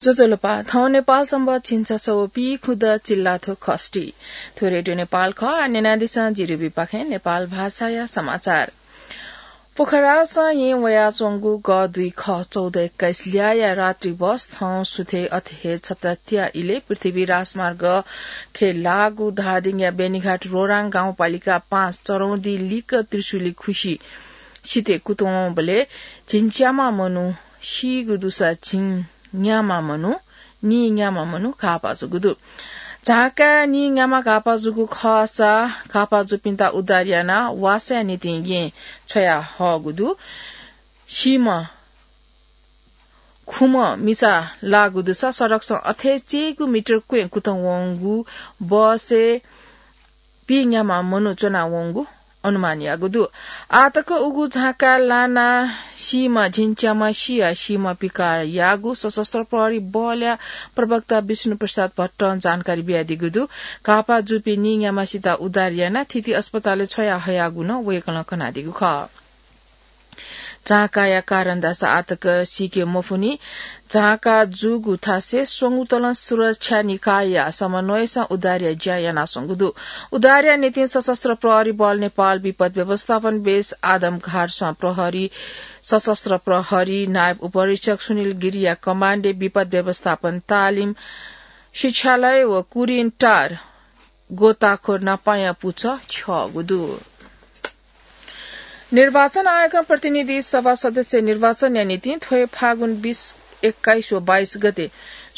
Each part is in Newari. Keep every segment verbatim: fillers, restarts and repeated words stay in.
ज्वजलपा, थौं नेपाल संवत् झिंछसः व पीखुदँ चिल्लाथ्व खष्ठी। थ्व रेडियो नेपाल खः। आः न्यनादिसँ जि रुबीपाखें नेपाल भाषाया समाचार। पोखरासं येँ वयाच्वंगु ग दुई ख चौध एक्काइस ल्याःया रात्रि बस थौं सुथय् अथे हे छत्ता त्या इलय् पृथ्वी राजमार्ग खँय् लाःगु धादिङया बेनीघाट रोराङ गाउँपालिका पाँच चरौँदी लिक्क त्रिशुली खुसि सिथय् कुतुं वंबलय् झिंच्याम्ह मनू सीगु दुसा झिंन्याम्ह मनू, नीन्याम्ह मनू घाःपाः जूगु दु। झांकाय् नीन्याम्ह घाःपाः जूगु खःसा घाःपाः जूपिन्त उद्धार यानाः वासःया निंतिं येँ छ्वया हःगु दु। सीम्ह खुम्ह मिसा लाःगु दुसा सडकसं अथे चय्‌गू मिटर क्वँय् कुतुं वंगु बसय् पीन्याम्ह मनू च्वनावंगु अनुमान याःगु दु। आःतक उगु झांकाय् लानाः सीम्ह झिंच्याम्ह सियाः सीम्ह पिकाः याःगु सशस्त्र प्रहरी बलया प्रवक्ता विष्णु प्रसाद भट्टं जानकारी बियादीगु दु। घाःपाः जूपिं नीन्याम्हसित उद्धार यानाः थीथी अस्पतालय् छ्वया हयागु नं वय्‌कलं कनादीगु खः। झांकाया कारण धाःसा आःतक सीके मफुनि। झांका जूगु थासय् स्वंगू तलं सुरक्षा निकायया समन्वयसं उद्धारया ज्या यानाच्वंगु दु। उद्धारया निंतिं सशस्त्र प्रहरी बल नेपाल विपद व्यवस्थापन बेस आदमघाटसं प्रहरी, सशस्त्र प्रहरी नायब उपरीक्षक सुनिल गिरीया कमाण्डय् विपद व्यवस्थापन तालिम शिक्षालय व कुरिन टार गोताखोर नापाया पुचः छ्यःगु दु। निर्वाचन आयोगं प्रतिनिधि सभा सदस्य निर्वाचनया निंतिं थ्व हे फागुन बीस, एक्काइस व बाइस गते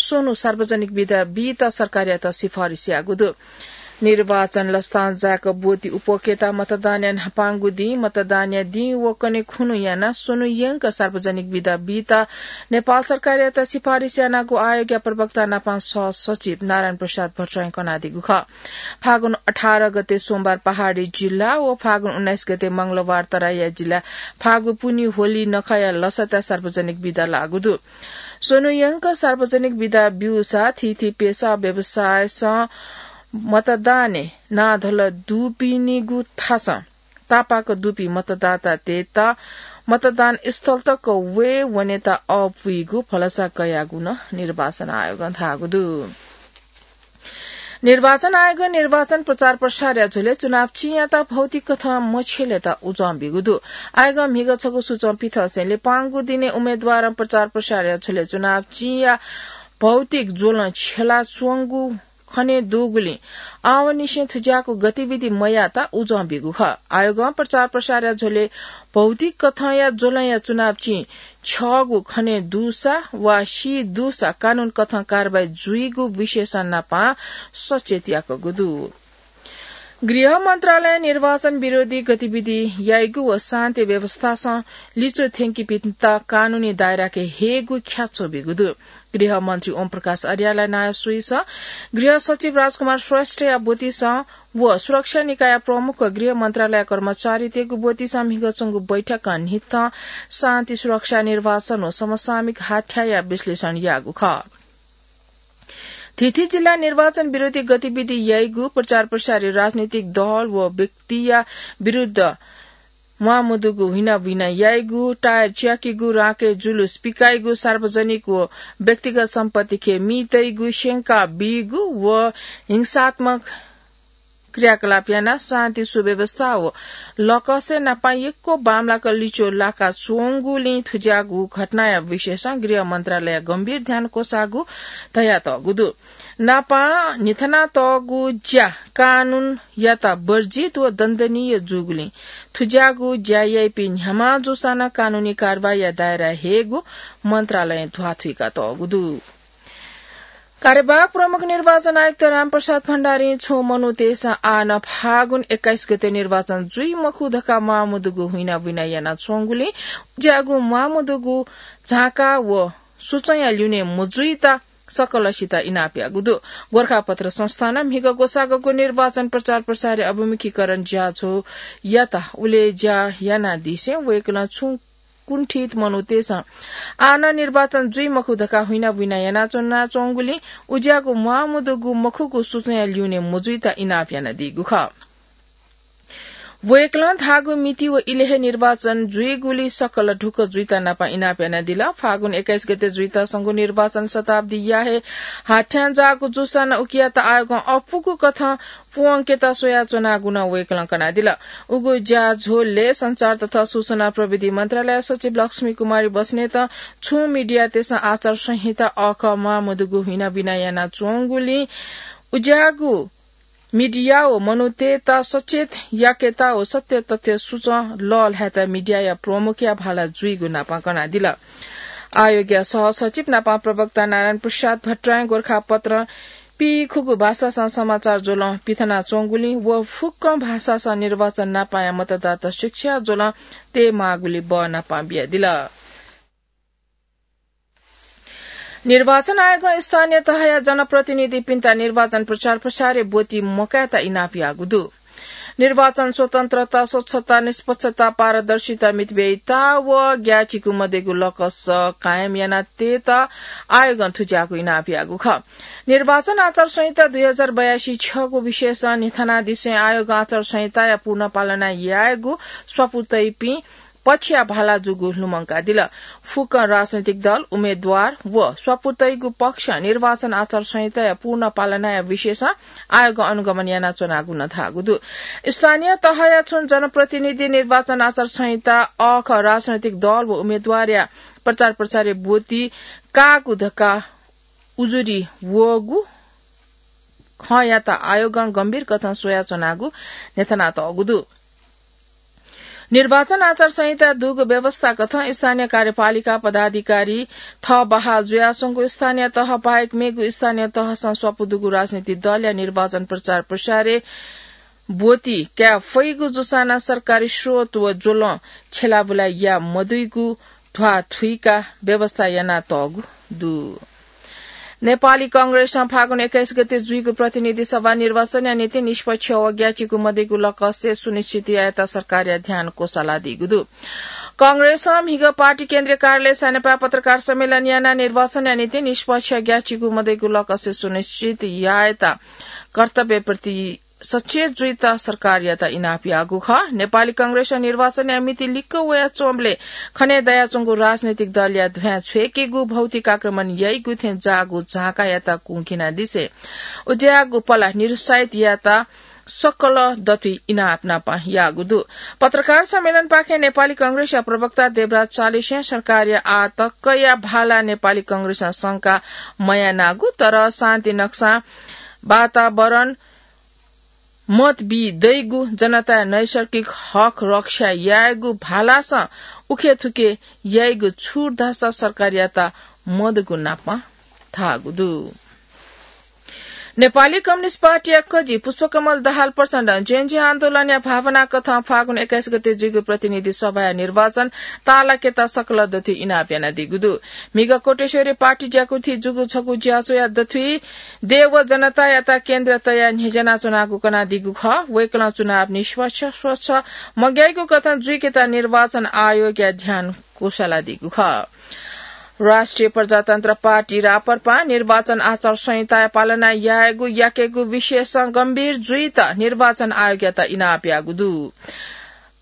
स्वन्हु सार्वजनिक बिदा बीत सरकारयात सिफारिस याःगु दु। निर्वाचन लसतां जाय्‌क ब्वति उप्वकेत मतदानया न्हापांगु दिं, मतदानया दिं व कन्हय् खुन्हु यानाः स्वन्हु यंक सार्वजनिक बिदा बीत नेपाल सरकारयात सिफारिस यानागु आयोगया प्रवक्ता नापं सहसचिव नारायण प्रसाद भट्टराईं कनादीगु खः। फागुन अठार गते सोमबार पहाडी जिल्ला व फागुन उन्नाइस गते मंगलबार तराईया जिल्ला, फागु पुन्हि होली नखःया लसताय् सार्वजनिक बिदा लाःगु दु। स्वन्हु यंक सार्वजनिक बिदा ब्यूसा थीथी पेसा व्यवसायसं मतदानय् नांधल दुपिनिगु थासं तापाक दुपिं मतदातातय्‌त मतदान स्थल तक वये वनेत अःपुइगु भलसा कयागु नं निर्वाचन आयोगं धाःगु दु। निर्वाचन आयोगं निर्वाचन प्रचार प्रसारया झ्वलय् चुनाव चिंयात भौतिक कथं मछ्यलेत उजं ब्यूगु दु। आयोगं म्हिगः छगू सूचं पिथंसें लिपांगु दिनय् उम्मेदवारं प्रचार प्रसारया झ्वलय् चुनाव चिंया भौतिक ज्वलं छ्यलाच्वंगु खनेदुगुलिं आवंनिसें थुज्याःगु गतिविधि मयायेत उजं ब्यूगु खः। आयोगं प्रचार प्रसारया झ्वलय् भौतिक कथंया ज्वलंया चुनाव चिं छ्यःगु खनेदुसा वा सीदुसा कानून कथं कारवाही जुइगु विशेषण नापं सचेत याकूगु दु। गृह मन्त्रालयं निर्वाचन विरोधी गतिविधि याइगु व शान्ति व्यवस्थासं लिच्वः थ्यंकीपिन्त कानूनी दायराके हयेगु ख्याच्वः ब्यूगु दु। गृह मन्त्री ओम प्रकाश अर्यालया नायः स्वइसं गृह सचिव राजकुमार श्रेष्ठया ब्वतिसं व सुरक्षा निकायया प्रमुख व गृह मन्त्रालय कर्मचारीतय्‌गु ब्वतिसं म्हिगः च्वंगु बैठकं न्हिथं शान्ति सुरक्षा निर्वाचन व समसामयिक हाथ्याःया विश्लेषण याःगु खः। थीथी जिल्लाय् निर्वाचन विरोधी गतिविधि याइगु, प्रचार प्रसारय् राजनीतिक दल व व्यक्तिया विरुद्ध म्वाःमदुगु हुइनाबुइना याइगु, टायर च्याकीगु, राँके जुलुस पिकाइगु, सार्वजनिक व व्यक्तिगत सम्पत्ति खँय् मि तइगु, स्यंका बीगु व हिंसात्मक क्रियाकलाप यानाः शान्ति सुव्यवस्था व लकसय् नापं यक्व बांमलाक लिच्वः लाकाच्वंगुलिं थुज्याःगु घटनाया विषयसं गृह मन्त्रालयं गम्भीर ध्यान क्वसाःगु धयातःगु दु। नापं न्हिथनातःगु ज्या कानूनयात वर्जित व दण्डनीय जूगुलिं थुज्याःगु ज्या याइपिं न्ह्याम्ह जूसां नं कानूनी कारवाहीया दायराय् हयेगु मन्त्रालयं ध्वाथुइकातःगु दु। कार्यवाहक प्रमुख निर्वाचन आयुक्त रामप्रसाद भण्डारीं छुं मनूतय्‌सं आः नं फागुन एक्काइस गते निर्वाचन जुइ मखु धकाः म्वाःमदुगु हुइनाबुइना यानाच्वंगुलिं उज्याःगु म्वाःमदुगु झांका व सूचंया ल्यूने मजुइत सकलसित इनाप याःगु दु। गोरखापत्र संस्थानं म्हिगः ग्वसाः गग्व निर्वाचन प्रचार प्रसारया अभिमुखीकरण ज्याझ्वः यात उलय् ज्या यानादिसें वय्‌कलं छुं कुण्ठित मनूतय्‌सं आः नं निर्वाचन जुइ मखु धकाः हुइनाबुइना यानाच्वनाच्वंगुलिं उज्याःगु म्वाःमदुगु मखुगु सूचंया ल्यूने मजुइत इनाप यानादीगु खः। वय्‌कलं धाःगु मिति व इलय् हे निर्वाचन जुइगुलिं सकल ढुक्क जुइत नापं इनाप यानादिल। फागुन एक्काइस गते जुइत संगु निर्वाचन शताब्दीया हे हाथ्यां जाःगु जूसां नं उकियात आयोगं अप्वःगु कथं पूवंकेत स्वयाच्वनागु नं वय्‌कलं कनादिल। उगु ज्याझ्वलय् सञ्चार तथा सूचना प्रविधि मन्त्रालय सचिव लक्ष्मी कुमारी बस्नेतं छुं मिडियातय्‌सं आचार संहिता अःखः म्वाः मदुगु हिनाबिना यानाच्वंगुलिं उज्याःगु मिडिया व मनूतय्‌त सचेत याकेत व सत्य तथ्य सूचं लःल्हायेत मिडियाया प्रमुखया भाला जुइगु नापं कनादिल। आयोगया सहसचिव नापं प्रवक्ता नारायण प्रसाद भट्टराईं गोरखापत्रं पीखुगू भाषासं समाचार ज्वलं पिथनाच्वंगुलिं व फुक्क भाषासं निर्वाचन नापंया मतदाता शिक्षा ज्वलं तयेमाःगुलि बः नापं बियादिल। निर्वाचन आयोगं स्थानीय तहया जनप्रतिनिधिपिन्त निर्वाचन प्रचार प्रसारय् ब्वति मकायेत इनाप याःगु दु। निर्वाचन स्वतन्त्रता, स्वच्छता, निष्पक्षता, पारदर्शिता, मितव्ययिता व ग्याःचिकु मदय्‌कु लकस कायम यानातयेत आयोगं थुज्याःगु इनाप याःगु खः। निर्वाचन आचार संहिता दुई हजार बयासी छगू विषयसं न्ह्यथनादिसें आयोगं आचार संहिताया पूर्ण पालना यायेगु स्वापू तइपिं पक्षया भाला जूगु लुमंकादिल। फुक्क राजनैतिक दल, उम्मेदवार व स्वापू तइगु पक्ष निर्वाचन आचार संहिताया पूर्ण पालनाया विषयसं आयोगं अनुगमन यानाच्वनागु नं धाःगु दु। स्थानीय तहया छुं जनप्रतिनिधि निर्वाचन आचार संहिता अःखः राजनैतिक दल व उम्मेदवारया प्रचार प्रसारय् ब्वति काःगु धकाः उजुरी वःगु खँयात आयोगं गम्भीर कथं स्वयाच्वनागु न्ह्यथनातःगु दु। निर्वाचन आचार संहिता दुगु व्यवस्था कथं स्थानीय कार्यपालिका पदाधिकारी थः बहाल जुयाच्वंगु स्थानीय तह बाहेक मेगु स्थानीय तहसं स्वापू दुगु राजनीतिक दलया निर्वाचन प्रचार प्रसारय् ब्वति काये फइगु जूसां नं सरकारी स्रोत व ज्वलं छ्यलाबुला याये मदइगु ध्वाथुइका व्यवस्था यानातःगु दु। नेपाली कांग्रेसं फागुन एक्काइस गते जुइगु प्रतिनिधि सभा निर्वाचनया निंतिं निष्पक्ष व ग्याःचिकु मदय्‌कु लकस सुनिश्चित यायेत सरकारया ध्यान क्वसालादीगु दु। कांग्रेसं म्हिगः पार्टी केन्द्रीय कार्यालय सानेपाय् पत्रकार सम्मेलन यानाः निर्वाचनया निंतिं निष्पक्ष ग्याःचिकु मदय्‌कु लकस सुनिश्चित यायेत कर्तव्यप्रति सचेत जुइत सरकारयात इनाप याःगु खः। नेपाली कांग्रेसं निर्वाचनया मिति लिक्क वयाच्वंबलय् खने दयाच्वंगु राजनैतिक दलया ध्वाँय् छ्वय्‌केगु, भौतिक आक्रमण याइगु थें जाःगु झाँकायात कुंखिनादिसें उज्याःगु पला निरुत्साहित यायेत सकल दथुइ इनाप नापं याःगु दु। पत्रकार सम्मेलनपाखें नेपाली कांग्रेसया प्रवक्ता देवराज चालिसें सरकारया आः तकया भाला नेपाली कांग्रेसं शंका मयानागु, तर शान्ति नक्सां वातावरण मत बी दइगु, जनताया नैसर्गिक हक रक्षा यायेगु भालासं उखेथुखे याइगु छुट धाःसा सरकारयात मदुगु नापं धाःगु दु। नेपाली कम्युनिस्ट पार्टीया कजि पुष्पकमल दाहाल प्रचण्डं जेएनजी आन्दोलनया भावना कथं फागुन एक्काइस गते जुइगु प्रतिनिधि सभाया निर्वाचन ताःलाकेत सकल दथुइ इनाप यानादीगु दु। म्हिगः कोटेश्वरय् पार्टी ज्याकुथि जूगु छगू ज्याझ्वःया दथुइ देय् व जनतायात केन्द्र तयाः न्ह्यज्यानाच्वनागु कनादीगु खः। वय्‌कलं चुनाव निष्पक्ष, स्वच्छ, मग्याइगु कथं जुइकेत निर्वाचन आयोगया ध्यान क्वसालादीगु खः। राष्ट्रिय प्रजातन्त्र पार्टी, राप्रपां, निर्वाचन आचार संहिताया पालना यायेगु याकेगु विषयसं गम्भीर जुइत निर्वाचन आयोगयात इनाप याःगु दु।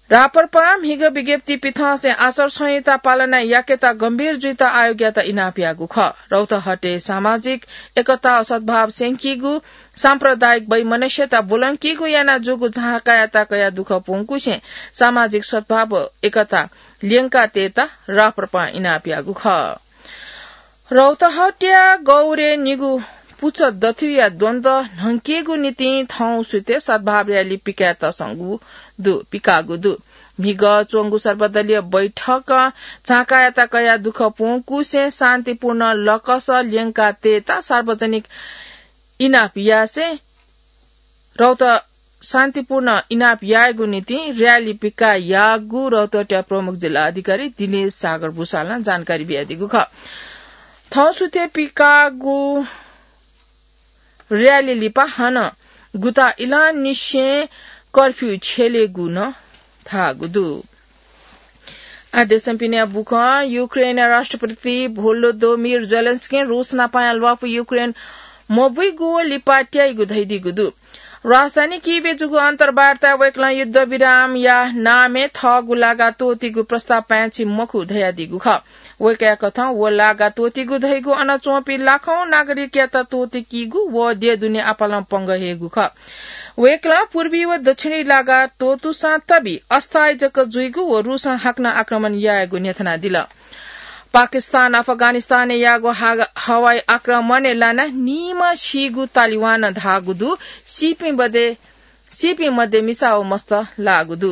राप्रपां म्हिगः विज्ञप्ति पिथंसें आचार संहिता पालना याकेत गम्भीर जुइत आयोगयात इनाप याःगु खः। रौतहटय् सामाजिक एकता व सद्भाव स्यंकीगु, साम्प्रदायिक वैमनस्यता ब्वलंकीगु यानाः जूगु झाँकायात कयाः दुःख प्वंकुसें सामाजिक सद्भाव व एकता ल्यंकातयेत राप्रपां इनाप याःगु खः। रौतहटया गौरय् निगू पुचः दथुइया द्वन्द्व न्हंकेगु निंतिं थौं सुथय् सद्भाव र्‍याली पिकायेत संगु दु, पिकाःगु दु। म्हिगः च्वंगु सर्वदलीय बैठकं झाँकायात कयाः दुःख प्वंकुसें शान्तिपूर्ण लकस ल्यंकातयेत सार्वजनिक इनाप यासें रौत शान्तिपूर्ण इनाप यायेगु निंतिं र्‍याली पिकाः याःगु रौतहटया प्रमुख जिल्ला अधिकारी दिनेश सागर भुसालं जानकारी बियादीगु खः। थौं सुथय् पिकाःगु र्‍याली लिपा हानं गुता इलंनिसें कर्फ्यू छ्यलेगु नं धाःगु दु। आ देशपिनिया बुखँ। युक्रेनया राष्ट्रपति भोलोदोमिर जेलेन्स्कीं रूस नापंया ल्वापु युक्रेन मबुइगु व लिपा त्याइगु धयादीगु दु। राजधानी कियेभय् जूगु अन्तर्वार्ताय् वय्कलं युद्धविरामया नामय् थःगु लागा त्वःतीगु प्रस्ताव पाय्छि मखु धयादीगु खः। वय्कःया कथं व लागा त्वःतीगु धइगु अन च्वंपिं लाखौं नागरिकयात त्वःतीकीगु व देय् दुने आपालं पंगः हयेगु खः। वय्कलं पूर्वी व दक्षिणी लागा त्वःतूसां तबि अस्थायी जक जुइगु व रूसं हाकनं आक्रमण यायेगु न्ह्यथनादिल। पाकिस्तान अफगानिस्तानय् याःगु हा-, हवाई आक्रमणय् लानाः नीम्ह सीगु तालिबानं धाःगु दु। सीपिं मध्ये, सीपिं मध्ये मिसा व मस्त लाःगु दु।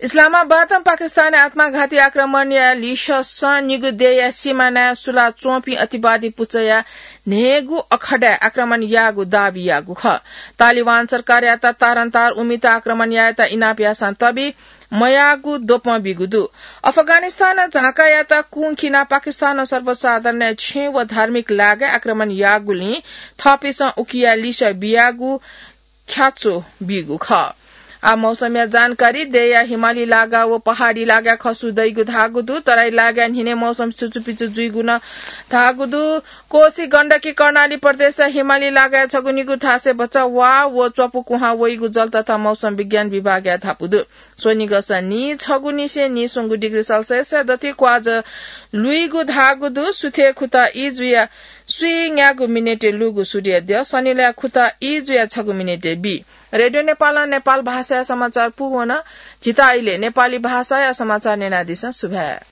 इस्लामाबादं पाकिस्तानय् आत्मघाती आक्रमणया लिससं निगू देय्‌या सिमानाय् सुलाच्वंपिं अतिवादी पुचःया न्हय्‌गू अखडाय् आक्रमण याःगु दाबी याःगु खः। तालिबान सरकारयात तारन्तार उमित आक्रमण यायेत इनाप याःसां तबि मयाःगु द्वपं बीगु दु। अफगानिस्तानं झाँक्रीयात कुंखिनाः पाकिस्तानं सर्वसाधारणया छेँ व धार्मिक लागाय् आक्रमण याःगुलिं थःपिन्सं उकिया लिसः बियागु ख्याच्वः बीगु खः। आः मौसमया जानकारी। देय्‌या हिमाली लागा व पहाडी लागाय् खसु दइगु धाःगु दु। तराई लागाय् न्हिनय् मौसम सुचुपिचु जुइगु नं धाःगु दु। कोशी, गण्डकी, कर्णाली प्रदेशया हिमाली लागाय् छगू निगू थासय् भचा वा व च्वपु कुहां वइगु जल तथा मौसम विज्ञान विभागया धापू दु। स्वनिगःसं नीछगू निसें नीस्वंगू डिग्री सेल्सियसया दथुइ क्वाजः लुइगु धाःगु दु। सुथय् खुता ई जुयाः स्वीन्यागू मिनेटय् लूगु सूर्यद्यः सनिलया खुता ई जुयाः छगू मिनेटय् बी। रेडियो नेपालं नेपाल भाषाया समाचार पूवन। झीत इलय् नेपाली भाषाया समाचार न्यनादिसँ। सुभाय्।